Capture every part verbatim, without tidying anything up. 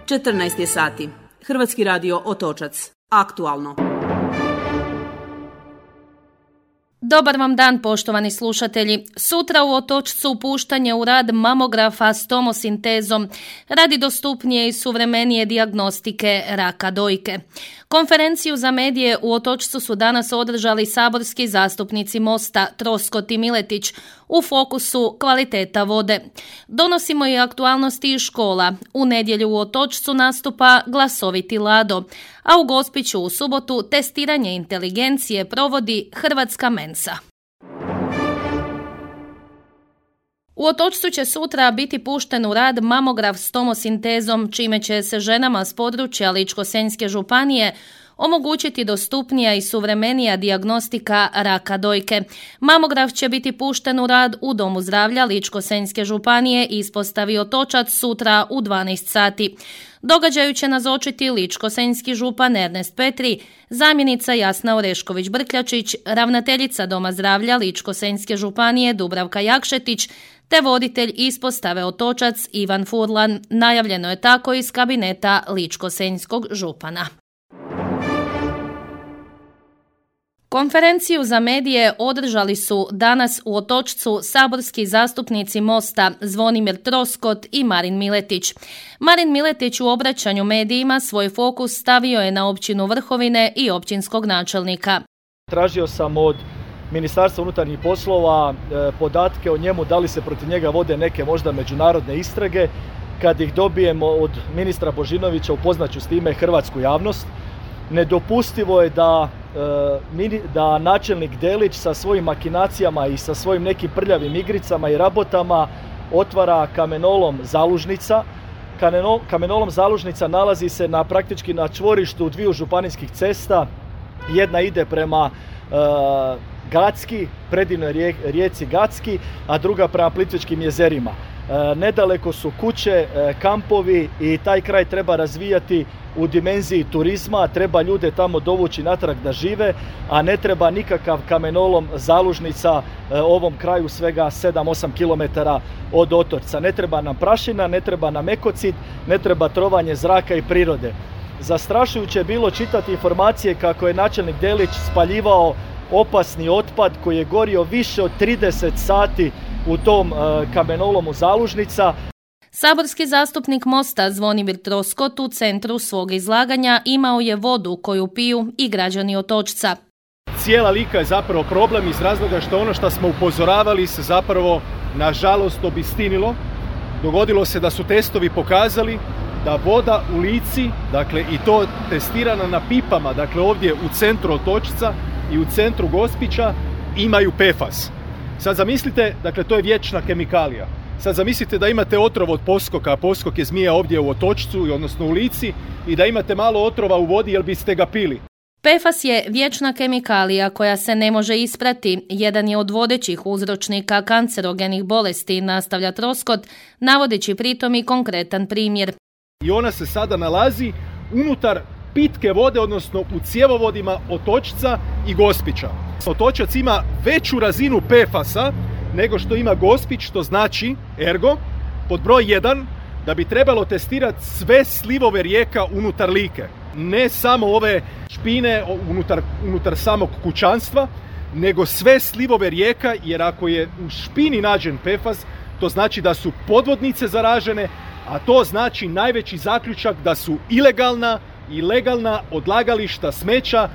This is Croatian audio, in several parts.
četrnaest je sati. Hrvatski radio Otočac. Aktualno. Dobar vam dan, poštovani slušatelji. Sutra u Otočcu puštanje u rad mamografa s tomosintezom radi dostupnije i suvremenije dijagnostike raka dojke. Konferenciju za medije u Otočcu su danas održali saborski zastupnici Mosta Troskot i Miletić u fokusu kvaliteta vode. Donosimo i aktualnosti iz škola. U nedjelju u Otočcu nastupa Glasoviti Lado, a u Gospiću u subotu testiranje inteligencije provodi Hrvatska mensa. U Otočcu će sutra biti pušten u rad mamograf s tomosintezom, čime će se ženama s područja Ličko-senjske županije omogućiti dostupnija i suvremenija dijagnostika raka dojke. Mamograf će biti pušten u rad u Domu zdravlja Ličko-senjske županije i ispostavi Otočac sutra u dvanaest sati. Događaju će nazočiti ličko-senjski župan Ernest Petri, zamjenica Jasna Orešković-Brkljačić, ravnateljica Doma zdravlja Ličko-senjske županije Dubravka Jakšetić, te voditelj ispostave Otočac Ivan Furlan. Najavljeno je tako iz kabineta ličko-senjskog župana. Konferenciju za medije održali su danas u Otočcu saborski zastupnici Mosta Zvonimir Troskot i Marin Miletić. Marin Miletić u obraćanju medijima svoj fokus stavio je na općinu Vrhovine i općinskog načelnika. Tražio sam od Ministarstva unutarnjih poslova e, podatke o njemu, da li se protiv njega vode neke možda međunarodne istrage. Kad ih dobijemo od ministra Božinovića, upoznaću s time hrvatsku javnost. Nedopustivo je da, e, da načelnik Delić sa svojim makinacijama i sa svojim nekim prljavim igricama i rabotama otvara kamenolom Zalužnica. Kameno, kamenolom Zalužnica nalazi se na praktički na čvorištu dviju županijskih cesta. Jedna ide prema e, Gacki, predivnoj rijek, rijeci Gacki, a druga prema Plitvičkim jezerima. E, nedaleko su kuće, e, kampovi i taj kraj treba razvijati u dimenziji turizma, treba ljude tamo dovući natrag da žive, a ne treba nikakav kamenolom Zalužnica e, ovom kraju svega sedam osam kilometara od Otočca. Ne treba nam prašina, ne treba nam ekocid, ne treba trovanje zraka i prirode. Zastrašujuće je bilo čitati informacije kako je načelnik Delić spaljivao opasni otpad koji je gorio više od trideset sati u tom e, kamenolomu Zalužnica. Saborski zastupnik Mosta Zvonimir Troskot u centru svog izlaganja imao je vodu koju piju i građani Otočca. Cijela Lika je zapravo problem iz razloga što ono što smo upozoravali se zapravo nažalost obistinilo. Dogodilo se da su testovi pokazali da voda u Lici, dakle i to testirana na pipama, dakle ovdje u centru Otočca i u centru Gospića, imaju P F A S. Sad zamislite, dakle to je vječna kemikalija. Sad zamislite da imate otrov od poskoka, a poskok je zmija ovdje u Otočcu, odnosno u Lici, i da imate malo otrova u vodi, jel biste ga pili? P F A S je vječna kemikalija koja se ne može isprati. Jedan je od vodećih uzročnika kancerogenih bolesti, nastavlja Troskot, navodeći pritom i konkretan primjer. I ona se sada nalazi unutar pitke vode, odnosno u cjevovodima Otočca i Gospića. Otočac ima veću razinu P F A S-a nego što ima Gospić, što znači, ergo, pod broj jedan, da bi trebalo testirati sve slivove rijeka unutar Like. Ne samo ove špine unutar, unutar samog kućanstva, nego sve slivove rijeka, jer ako je u špini nađen P F A S, to znači da su podvodnice zaražene, a to znači najveći zaključak da su ilegalna i legalna odlagališta smeća,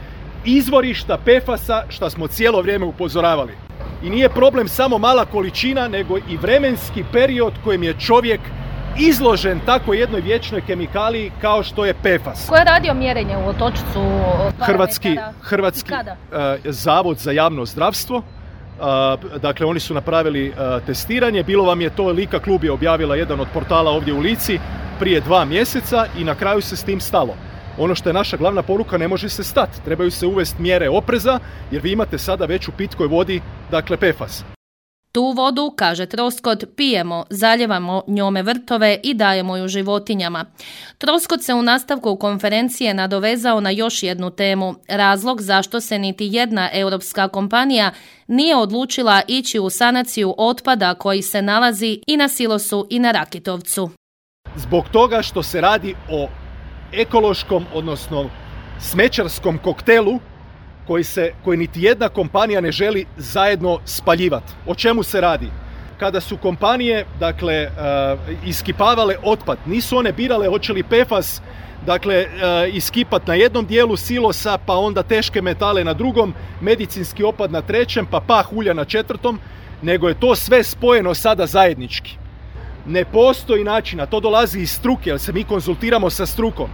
izvorišta P F A S-a, što smo cijelo vrijeme upozoravali. I nije problem samo mala količina, nego i vremenski period kojem je čovjek izložen tako jednoj vječnoj kemikaliji kao što je P F A S. Ko je radio mjerenje u Otočcu? Hrvatski, Hrvatski uh, zavod za javno zdravstvo. Uh, dakle, oni su napravili uh, testiranje. Bilo vam je to, Lika klub je objavila jedan od portala ovdje u Lici prije dva mjeseca i na kraju se s tim stalo. Ono što je naša glavna poruka, ne može se stati. Trebaju se uvesti mjere opreza, jer vi imate sada već u pitkoj vodi, dakle, P F A S. Tu vodu, kaže Troskot, pijemo, zaljevamo njome vrtove i dajemo ju životinjama. Troskot se u nastavku konferencije nadovezao na još jednu temu, razlog zašto se niti jedna europska kompanija nije odlučila ići u sanaciju otpada koji se nalazi i na silosu i na Rakitovcu. zbog toga što se radi o ekološkom, odnosno smećarskom koktelu koji, se, koji niti jedna kompanija ne želi zajedno spaljivati. O čemu se radi? Kada su kompanije, dakle, uh, iskipavale otpad, nisu one birale hoće li P F A S, dakle, uh, iskipat na jednom dijelu silosa, pa onda teške metale na drugom, medicinski otpad na trećem, pa pah ulja na četvrtom, nego je to sve spojeno sada zajednički. Ne postoji način, a to dolazi iz struke, jer se mi konzultiramo sa strukom,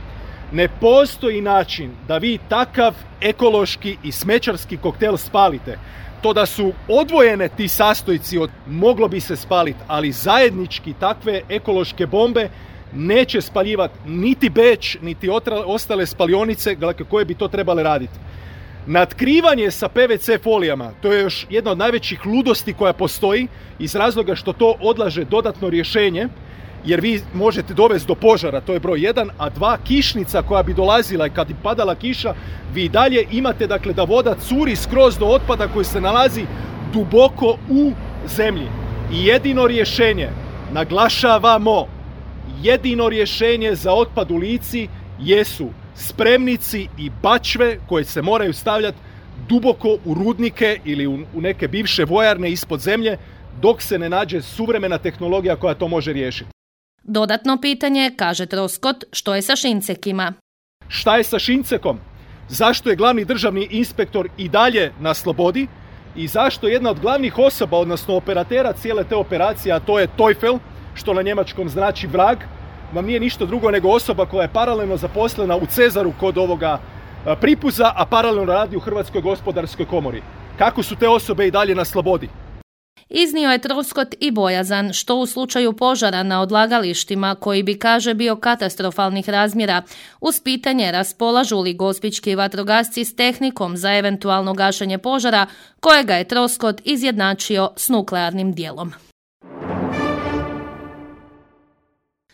ne postoji način da vi takav ekološki i smećarski koktel spalite. To da su odvojene ti sastojci, od, moglo bi se spaliti, ali zajednički takve ekološke bombe neće spaljivati niti Beč, niti otra, ostale spalionice koje bi to trebale raditi. Natkrivanje sa P V C folijama, to je još jedna od najvećih ludosti koja postoji, iz razloga što to odlaže dodatno rješenje, jer vi možete dovesti do požara, to je broj jedan, a dva, kišnica koja bi dolazila i kad bi padala kiša, vi dalje imate, dakle, da voda curi skroz do otpada koji se nalazi duboko u zemlji. I jedino rješenje, naglašavamo, jedino rješenje za otpad u Lici jesu spremnici i bačve koje se moraju stavljati duboko u rudnike ili u, u neke bivše vojarne ispod zemlje, dok se ne nađe suvremena tehnologija koja to može riješiti. Dodatno pitanje, kaže Troskot, što je sa Šincekima? Šta je sa Šincekom? Zašto je glavni državni inspektor i dalje na slobodi? I zašto jedna od glavnih osoba, odnosno operatera cijele te operacije, a to je Teufel, što na njemačkom znači vrag, vam nije ništa drugo nego osoba koja je paralelno zaposlena u Cezaru kod ovoga Pripuza, a paralelno radi u Hrvatskoj gospodarskoj komori. Kako su te osobe i dalje na slobodi? Iznio je Troskot i bojazan što u slučaju požara na odlagalištima, koji bi, kaže, bio katastrofalnih razmjera, uz pitanje raspolažu li gospićki vatrogasci s tehnikom za eventualno gašenje požara, kojega je Troskot izjednačio s nuklearnim dijelom.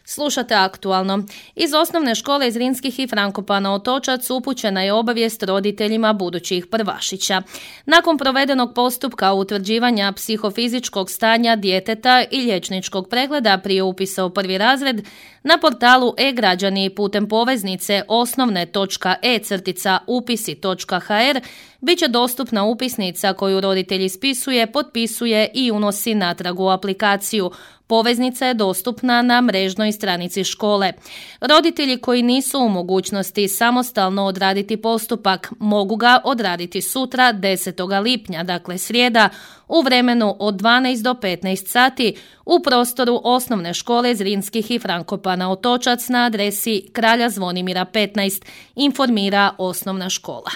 Slušate Aktualno. Iz osnovne škole iz Zrinskih i Frankopana Otočac upućena je obavijest roditeljima budućih prvašića. Nakon provedenog postupka utvrđivanja psihofizičkog stanja djeteta i liječničkog pregleda prije upisa u prvi razred, na portalu e-građani putem poveznice osnovne.e-upisi točka hr bit će dostupna upisnica koju roditelj ispisuje, potpisuje i unosi natrag u aplikaciju. Poveznica je dostupna na mrežnoj stranici škole. Roditelji koji nisu u mogućnosti samostalno odraditi postupak mogu ga odraditi sutra desetog lipnja, dakle srijeda, u vremenu od dvanaest do petnaest sati u prostoru osnovne škole Zrinskih i Frankopana Otočac na adresi Kralja Zvonimira petnaest, informira osnovna škola.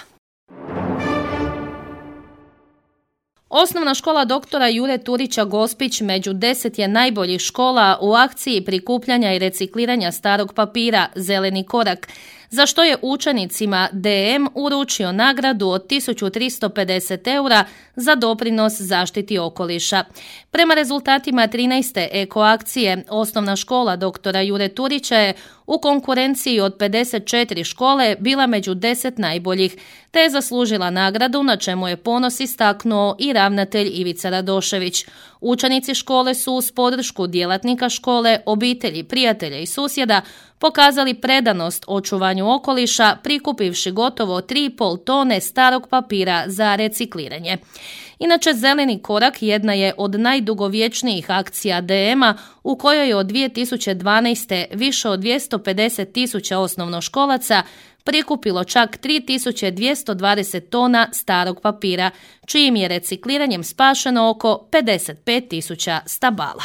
Osnovna škola doktora Jure Turića Gospić među deset je najboljih škola u akciji prikupljanja i recikliranja starog papira Zeleni korak, za što je učenicima D M uručio nagradu od tisuću tristo pedeset eura za doprinos zaštiti okoliša. Prema rezultatima trinaeste ekoakcije, osnovna škola doktora Jure Turića je u konkurenciji od pedeset četiri škole bila među deset najboljih, te je zaslužila nagradu, na čemu je ponos istaknuo i ravnatelj Ivica Radošević. Učenici škole su uz podršku djelatnika škole, obitelji, prijatelja i susjeda pokazali predanost očuvanju okoliša, prikupivši gotovo tri i pol tone starog papira za recikliranje. Inače, Zeleni korak jedna je od najdugovječnijih akcija D M-a u kojoj je od dvije tisuće dvanaeste. više od dvjesto pedeset tisuća osnovnoškolaca prikupilo čak tri tisuće dvjesto dvadeset tona starog papira, čijim je recikliranjem spašeno oko pedeset pet tisuća stabala.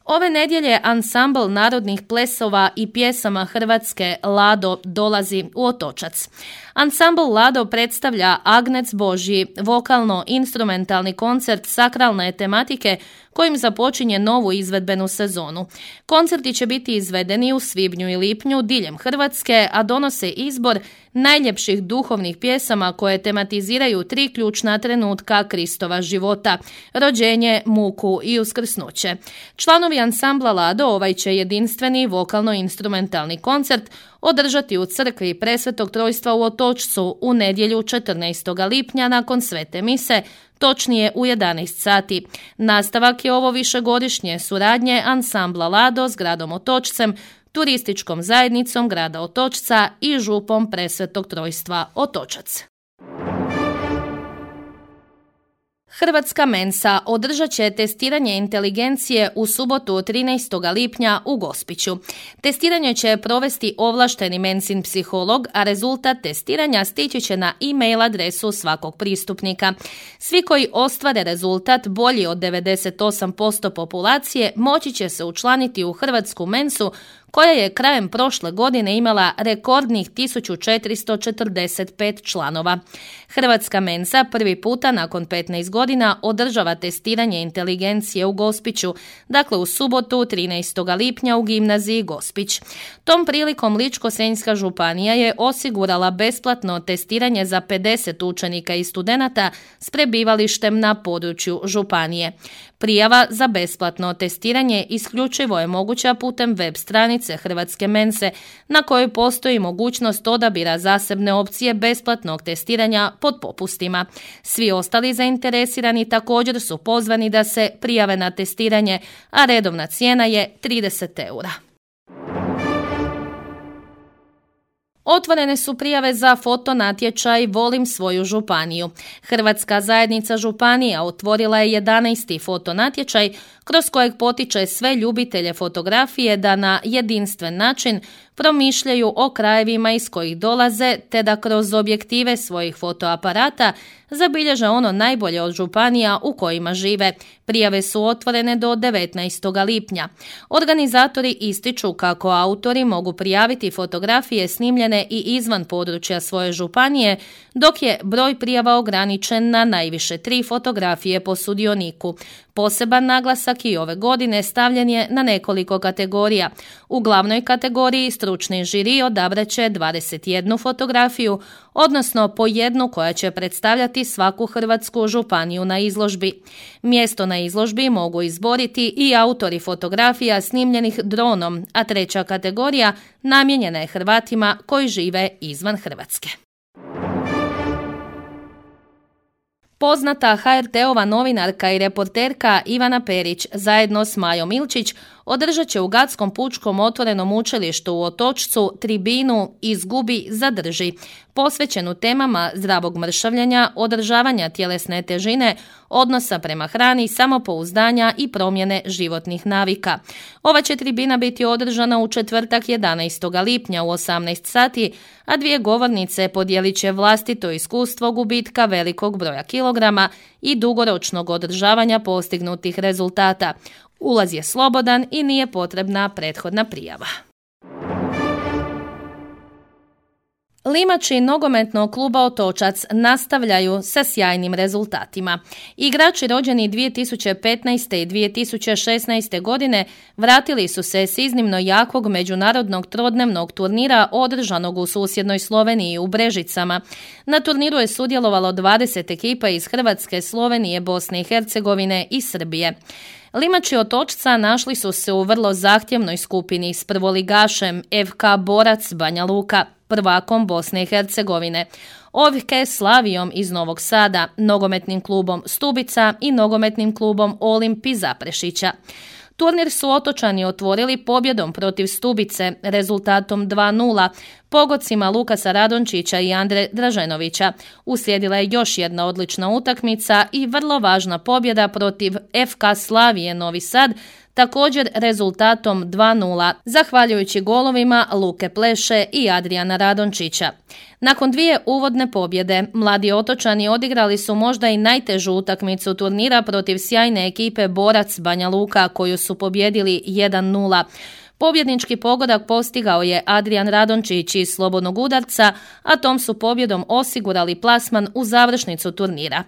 Ove nedjelje ansambl narodnih plesova i pjesama Hrvatske Lado dolazi u Otočac. Ansambl Lado predstavlja Agnec Božji, vokalno-instrumentalni koncert sakralne tematike kojim započinje novu izvedbenu sezonu. Koncerti će biti izvedeni u svibnju i lipnju diljem Hrvatske, a donose izbor najljepših duhovnih pjesama koje tematiziraju tri ključna trenutka Kristova života: rođenje, muku i uskrsnuće. Članovi ansambla Lado ovaj će jedinstveni vokalno-instrumentalni koncert održati u crkvi Presvetog Trojstva u Otočcu u nedjelju četrnaestog lipnja nakon svete mise, točnije u jedanaest sati. Nastavak je ovo višegodišnje suradnje ansambla Lado s gradom Otočcem, turističkom zajednicom grada Otočca i župom Presvetog Trojstva Otočac. Hrvatska mensa održat će testiranje inteligencije u subotu trinaestog lipnja u Gospiću. Testiranje će provesti ovlašteni mensin psiholog, a rezultat testiranja stići će na e-mail adresu svakog pristupnika. Svi koji ostvare rezultat bolji od devedeset osam posto populacije moći će se učlaniti u Hrvatsku mensu, koja je krajem prošle godine imala rekordnih tisuću četiristo četrdeset pet članova. Hrvatska mensa prvi puta nakon petnaest godina održava testiranje inteligencije u Gospiću, dakle u subotu trinaestog lipnja u gimnaziji Gospić. Tom prilikom Ličko-senjska županija je osigurala besplatno testiranje za pedeset učenika i studenata s prebivalištem na području županije. Prijava za besplatno testiranje isključivo je moguća putem web stranice Hrvatske mense, na kojoj postoji mogućnost odabira zasebne opcije besplatnog testiranja pod popustima. Svi ostali zainteresirani također su pozvani da se prijave na testiranje, a redovna cijena je trideset eura. Otvorene su prijave za fotonatječaj Volim svoju županiju. Hrvatska zajednica županija otvorila je jedanaesti fotonatječaj kroz kojeg potiče sve ljubitelje fotografije da na jedinstven način promišljaju o krajevima iz kojih dolaze, te da kroz objektive svojih fotoaparata zabilježe ono najbolje od županija u kojima žive. Prijave su otvorene do devetnaestog lipnja. Organizatori ističu kako autori mogu prijaviti fotografije snimljene i izvan područja svoje županije, dok je broj prijava ograničen na najviše tri fotografije po sudioniku. Poseban naglasak i ove godine stavljen je na nekoliko kategorija. U glavnoj kategoriji stručni žiri odabrat će dvadeset jednu fotografiju, odnosno po jednu koja će predstavljati svaku hrvatsku županiju na izložbi. Mjesto na izložbi mogu izboriti i autori fotografija snimljenih dronom, a treća kategorija namijenjena je Hrvatima koji žive izvan Hrvatske. Poznata ha er te-ova novinarka i reporterka Ivana Perić zajedno s Majom Ilčić održat će u Gatskom pučkom otvorenom učilištu u Otočcu tribinu Izgubi, zadrži, posvećenu temama zdravog mršavljenja, održavanja tjelesne težine, odnosa prema hrani, samopouzdanja i promjene životnih navika. Ova će tribina biti održana u četvrtak jedanaestog lipnja u osamnaest sati, a dvije govornice podijelit će vlastito iskustvo gubitka velikog broja kilograma i dugoročnog održavanja postignutih rezultata. Ulaz je slobodan i nije potrebna prethodna prijava. Limači nogometnog kluba Otočac nastavljaju sa sjajnim rezultatima. Igrači rođeni dvije tisuće petnaeste i dvije tisuće šesnaeste godine vratili su se s iznimno jakog međunarodnog trodnevnog turnira održanog u susjednoj Sloveniji u Brežicama. Na turniru je sudjelovalo dvadeset ekipa iz Hrvatske, Slovenije, Bosne i Hercegovine i Srbije. Limači Otočca našli su se u vrlo zahtjevnoj skupini s prvoligašem ef ka Borac Banja Luka, prvakom Bosne i Hercegovine, O V K Slavijom iz Novog Sada, nogometnim klubom Stubica i nogometnim klubom Olimp iz Zaprešića. Turnir su Otočani otvorili pobjedom protiv Stubice, rezultatom dva nula, pogodcima Lukasa Radončića i Andre Draženovića. Uslijedila je još jedna odlična utakmica i vrlo važna pobjeda protiv ef ka Slavije Novi Sad, također rezultatom dva nula, zahvaljujući golovima Luke Pleše i Adriana Radončića. Nakon dvije uvodne pobjede, mladi Otočani odigrali su možda i najtežu utakmicu turnira protiv sjajne ekipe Borac Banja Luka, koju su pobjedili jedan nula. Pobjednički pogodak postigao je Adrian Radončić iz slobodnog udarca, a tom su pobjedom osigurali plasman u završnicu turnira.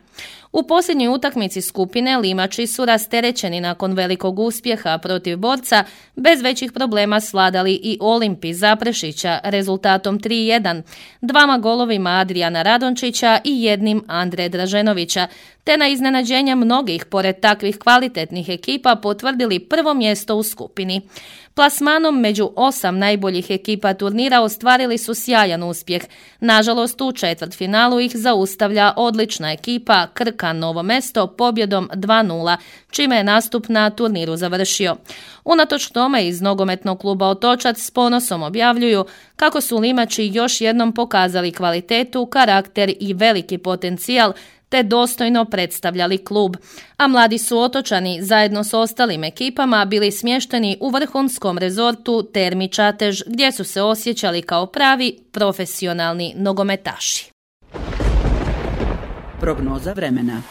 U posljednjoj utakmici skupine Limači su rasterećeni nakon velikog uspjeha protiv Borca, bez većih problema svladali i Olimpij Zaprešića rezultatom tri jedan, dvama golovima Adrijana Radončića i jednim Andre Draženovića, te na iznenađenje mnogih pored takvih kvalitetnih ekipa potvrdili prvo mjesto u skupini. Plasmanom među osam najboljih ekipa turnira ostvarili su sjajan uspjeh. Nažalost, u četvrtfinalu ih zaustavlja odlična ekipa Krka Novo Mesto pobjedom dva nula, čime je nastup na turniru završio. Unatoč tome iz nogometnog kluba Otočac s ponosom objavljuju kako su Limači još jednom pokazali kvalitetu, karakter i veliki potencijal, te dostojno predstavljali klub, a mladi su Otočani zajedno s ostalim ekipama bili smješteni u vrhunskom rezortu Termi Čatež, gdje su se osjećali kao pravi profesionalni nogometaši. Prognoza vremena.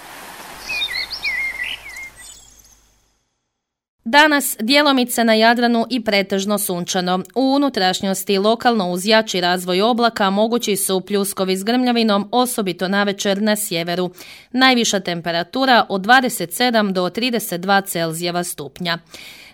Danas djelomice na Jadranu i pretežno sunčano. U unutrašnjosti lokalno uz jači razvoj oblaka mogući su pljuskovi s grmljavinom, osobito navečer na sjeveru. Najviša temperatura od dvadeset sedam do trideset dva Celzijeva stupnja.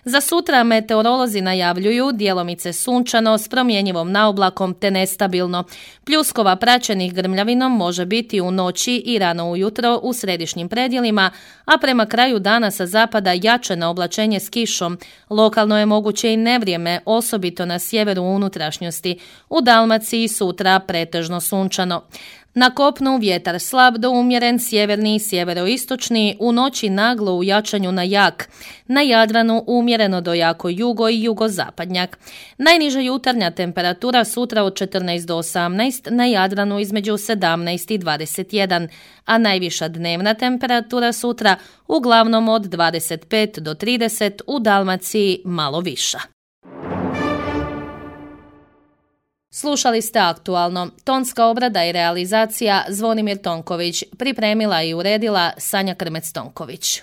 Za sutra meteorolozi najavljuju djelomice sunčano s promjenjivom naoblakom te nestabilno. Pljuskova praćenih grmljavinom može biti u noći i rano ujutro u središnjim predjelima, a prema kraju dana sa zapada jače na oblačenje s kišom. Lokalno je moguće i nevrijeme, osobito na sjeveru unutrašnjosti. U Dalmaciji sutra pretežno sunčano. Na kopnu vjetar slab do umjeren, sjeverni i sjeveroistočni, u noći naglo u jačanju na jak. Na Jadranu umjereno do jako jugo i jugozapadnjak. Najniža jutarnja temperatura sutra od četrnaest do osamnaest, na Jadranu između sedamnaest i dvadeset jedan, a najviša dnevna temperatura sutra uglavnom od dvadeset pet do trideset, u Dalmaciji malo viša. Slušali ste Aktualno. Tonska obrada i realizacija Zvonimir Tonković. Pripremila i uredila Sanja Krmec-Tonković.